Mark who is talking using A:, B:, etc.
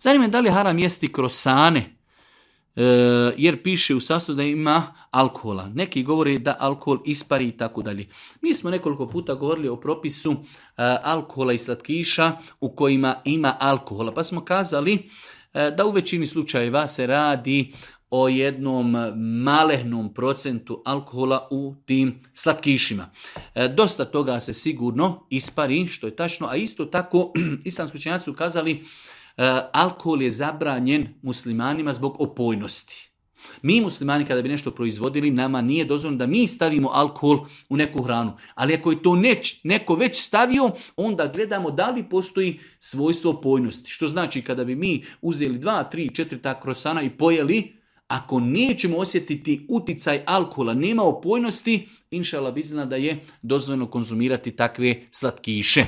A: Zanima me da li je haram jesti krosane, jer piše u sastavu da ima alkohola. Neki govore da alkohol ispari i tako dalje. Mi smo nekoliko puta govorili o propisu alkohola i slatkiša u kojima ima alkohola. Pa smo kazali da u većini slučajeva se radi o jednom malehnom procentu alkohola u tim slatkišima. Dosta toga se sigurno ispari, što je tačno, a isto tako islamski učenjaci su kazali alkohol je zabranjen muslimanima zbog opojnosti. Mi muslimani kada bi nešto proizvodili, nama nije dozvoljeno da mi stavimo alkohol u neku hranu. Ali ako je to neko već stavio, onda gledamo da li postoji svojstvo opojnosti. Što znači kada bi mi uzeli 2, 3, 4 ta krosana i pojeli, ako nećemo osjetiti uticaj alkohola, nema opojnosti, inšallah bizna da je dozvoljeno konzumirati takve slatkiše.